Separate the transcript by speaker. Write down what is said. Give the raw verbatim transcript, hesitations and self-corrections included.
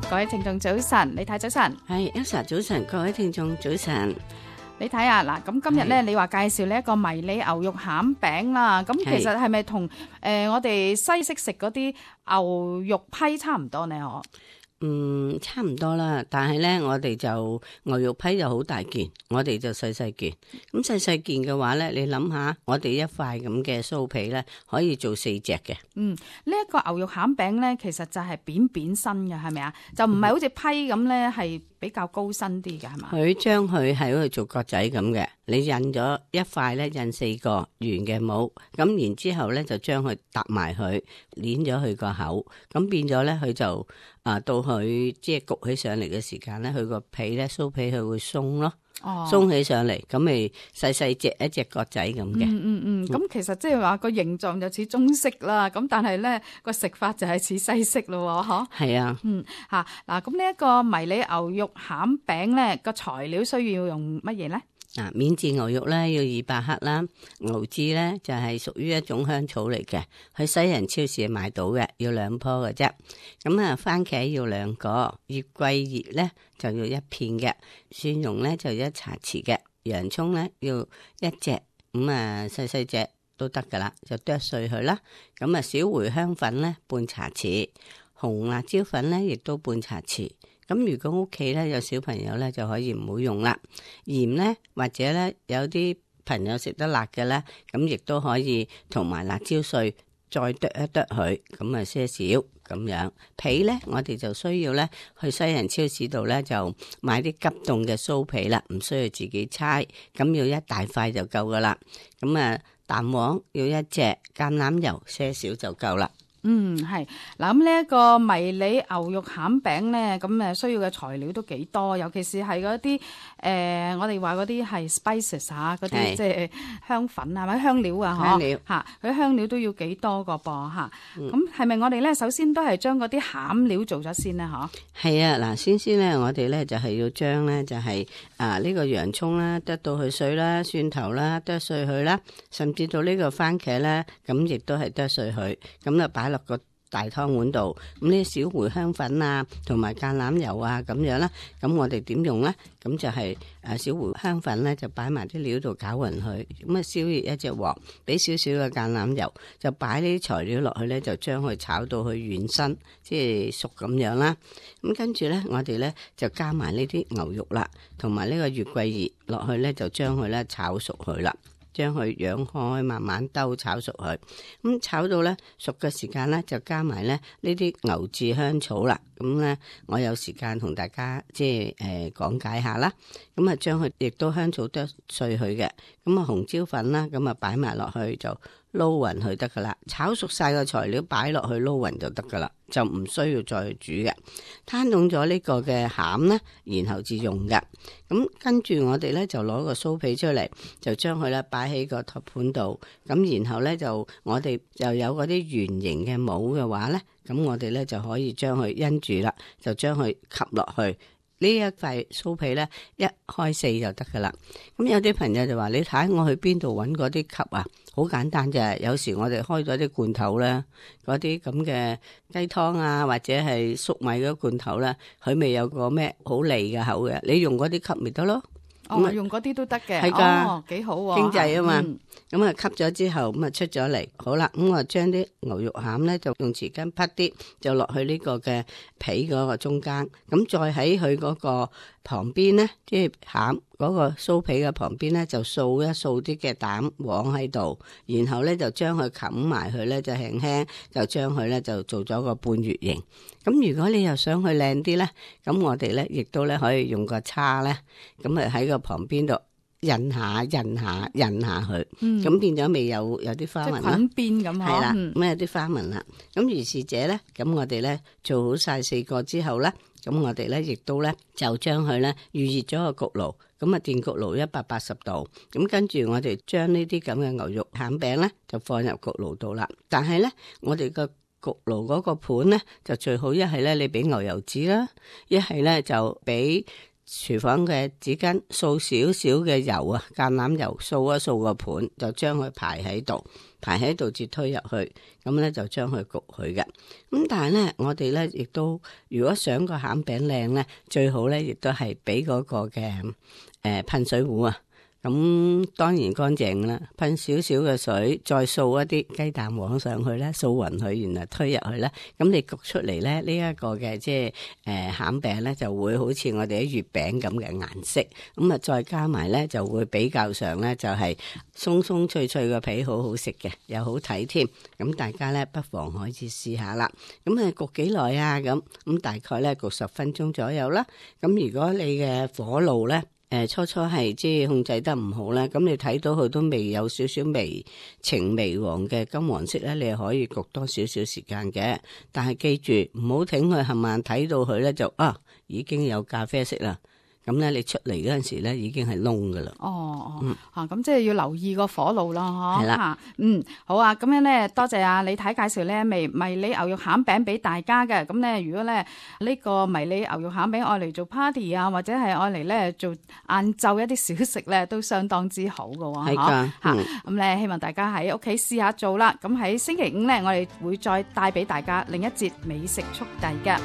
Speaker 1: 各位聽眾早晨，李太早晨。
Speaker 2: 係 Elsa 早晨，各位聽眾早晨。
Speaker 1: 你睇下嗱，咁今日咧，你話介紹呢一個迷你牛肉餡餅啦，咁其實係咪同誒我哋西式食嗰啲牛肉批差唔多呢？嗬？
Speaker 2: 嗯，差唔多啦，但係咧，我哋就牛肉批就好大件，我哋就細細件。咁細細件嘅話咧，你諗下，我哋一塊咁嘅酥皮咧，可以做四隻嘅。
Speaker 1: 嗯，呢、這、一個牛肉餡餅咧，其實就係扁扁身嘅，係咪啊？就唔係好似批咁咧，係比較高身啲嘅，係嘛？
Speaker 2: 佢將佢係好似做角仔咁嘅，你印咗一塊咧，印四個圓嘅模，咁然之後咧就將佢搭埋佢，捏咗佢個口，咁變咗咧佢就啊到佢即係焗起上嚟嘅時間咧，佢個皮咧酥皮佢會鬆咯。哦，鬆起上嚟，咁咪細細隻一隻角仔咁嘅。
Speaker 1: 嗯嗯嗯，咁、嗯、其實即係話個形狀就似中式啦，咁但係咧個食法就係似西式咯，嗬。係啊。嗯，吓嗱，咁呢一個迷你牛肉餡餅咧，個材料需要用乜嘢咧？
Speaker 2: 嗱，免治牛肉咧要二百克啦，牛至咧就係屬於一種香草嚟嘅，去西人超市買到嘅，要兩棵嘅啫。咁啊，番茄要兩個，月桂葉咧就要一片嘅，蒜蓉咧就一茶匙嘅，洋蔥咧要一隻，咁啊細細隻都得噶啦，就剁碎佢啦。咁啊，小茴香粉咧半茶匙，紅辣椒粉咧亦都半茶匙。咁如果屋企咧有小朋友咧就可以唔好用啦，鹽咧或者咧有啲朋友食得辣嘅咧，咁亦都可以同埋辣椒碎再剁一剁佢，咁啊些少咁樣。皮咧我哋就需要咧去西人超市度咧就買啲急凍嘅酥皮啦，唔需要自己搓，咁要一大塊就夠噶啦。咁啊蛋黃要一隻，橄欖油些少就夠啦。
Speaker 1: 嗯，係嗱，咁呢一個迷你牛肉餡餅咧，咁誒需要嘅材料都幾多，尤其是係嗰啲誒，我哋話嗰啲係 spices 啊，嗰啲即係香粉啊，或者香料啊，
Speaker 2: 香料
Speaker 1: 嚇，佢香料都要幾多個噃嚇。咁係咪我哋咧首先都係將嗰啲餡料做咗先咧？嗬，係
Speaker 2: 啊，嗱，先先咧，我哋咧就係要將咧就係啊呢個洋蔥啦，剁到佢碎啦，蒜頭啦，剁碎佢啦，甚至到呢個番茄咧，咁亦都係剁碎佢，咁就擺落個大湯碗度，咁呢小茴香粉啊，同埋橄欖油啊，咁樣啦。咁我哋點用咧？咁就係誒小茴香粉咧，就擺埋啲料度攪勻佢。咁啊，燒熱一隻鑊，俾少少嘅橄欖油，就擺呢啲材料落去咧，就將佢炒到佢軟身，即係熟咁樣啦。咁跟住咧，我哋咧就加埋呢啲牛肉啦，同埋呢個月桂葉落去咧，就將佢咧炒熟佢啦。將佢揚開，慢慢兜炒熟佢。咁炒到咧熟嘅時間咧，就加埋咧呢啲牛至香草啦。咁咧，我有時間同大家即係誒講解下啦。咁啊，將佢亦都香草剁碎佢嘅。咁啊，紅椒粉啦，咁啊擺埋落去就撈勻佢得噶啦。炒熟晒個材料擺落去撈勻就得噶啦，就唔需要再煮嘅。攤凍咗呢個嘅餡咧，然後至用嘅。咁跟住我哋咧就攞個酥皮出嚟，就將佢咧擺喺個托盤度。咁然後咧就我哋就有嗰啲圓形嘅模嘅話咧，咁我哋咧就可以將佢因住啦，就將佢吸落去。呢一塊酥皮咧，一開四就得噶啦。咁有啲朋友就話：你睇我去邊度揾嗰啲吸啊？好簡單啫。有時我哋開咗啲罐頭咧，嗰啲咁嘅雞湯啊，或者係粟米嗰罐頭咧，佢未有個咩好利嘅口嘅，你用嗰啲吸咪得咯。
Speaker 1: 哦，用嗰啲都得嘅，
Speaker 2: 係噶，
Speaker 1: 哦，幾好喎，
Speaker 2: 經濟啊嘛。
Speaker 1: 嗯
Speaker 2: 咁啊吸咗之後，咁啊出咗嚟，好啦，咁我將啲牛肉餡咧就用匙羹滗啲，就落去呢個嘅皮嗰個中間，咁再喺佢嗰個旁邊咧，即係餡嗰個酥皮嘅旁邊咧，就掃一掃啲嘅蛋黃喺度，然後咧就將佢冚埋佢咧，就輕輕就將佢咧就做咗個半月形。咁如果你又想去靚啲咧，咁我哋咧亦都咧可以用個叉咧，咁啊喺個旁邊度。印下印下印下佢，咁、嗯、變咗未有有啲花紋啦，
Speaker 1: 滾邊咁
Speaker 2: 係啦，
Speaker 1: 咁、
Speaker 2: 嗯、有啲花紋啦。咁如是者咧，咁我哋咧做好晒四個之後咧，咁我哋咧亦都咧就將佢咧預熱咗個焗爐，咁啊電焗爐一百八十度，咁跟住我哋將呢啲咁嘅牛肉餡餅咧就放入焗爐度啦。但係咧，我哋個焗爐嗰個盤咧就最好一係咧你俾牛油紙啦，一係咧就俾。廚房嘅紙巾掃少少嘅油啊，橄欖油掃一掃個盤，就將佢排喺度，排喺度至推入去，咁咧就將佢焗佢嘅。咁但係咧，我哋咧亦都如果想個餡餅靚咧，最好咧亦都係俾嗰個嘅誒噴水壺啊。咁當然乾淨啦，噴少少嘅水，再掃一啲雞蛋黃上去咧，掃勻佢，然後推入去咧，咁你焗出嚟咧，呢、這、一個嘅即係誒餡餅咧，就會好似我哋啲月餅咁嘅顏色，咁啊再加埋咧就會比較上咧就係鬆鬆脆脆嘅皮，好好食嘅，又好睇添。咁大家咧不妨可以試下啦。咁啊焗幾耐啊？咁咁大概咧焗十分鐘左右啦。咁如果你嘅火爐咧，誒、呃，初初係即係控制得唔好咧，咁你睇到佢都未有少少微呈微黃嘅金黃色咧，你係可以焗多少少時間嘅。但係記住唔好挺佢，係咪睇到佢咧就啊已經有咖啡色啦。咁咧，你出嚟嗰陣時咧，已經係燶噶啦。哦
Speaker 1: 哦，嗯，吓咁、啊、即係要留意個火爐啦，嗬。
Speaker 2: 係啦，
Speaker 1: 嗯，好啊，咁樣咧，多謝啊李太介紹咧迷迷你牛肉餡餅俾大家嘅。咁咧，如果咧呢、這個迷你牛肉餡餅愛嚟做 party 啊，或者係愛嚟咧做晏晝一啲小食咧，都相當之好噶。
Speaker 2: 係噶，
Speaker 1: 吓咁咧，希望大家喺屋企試下做啦。咁喺星期五咧，我哋會再帶俾大家另一節美食速遞嘅。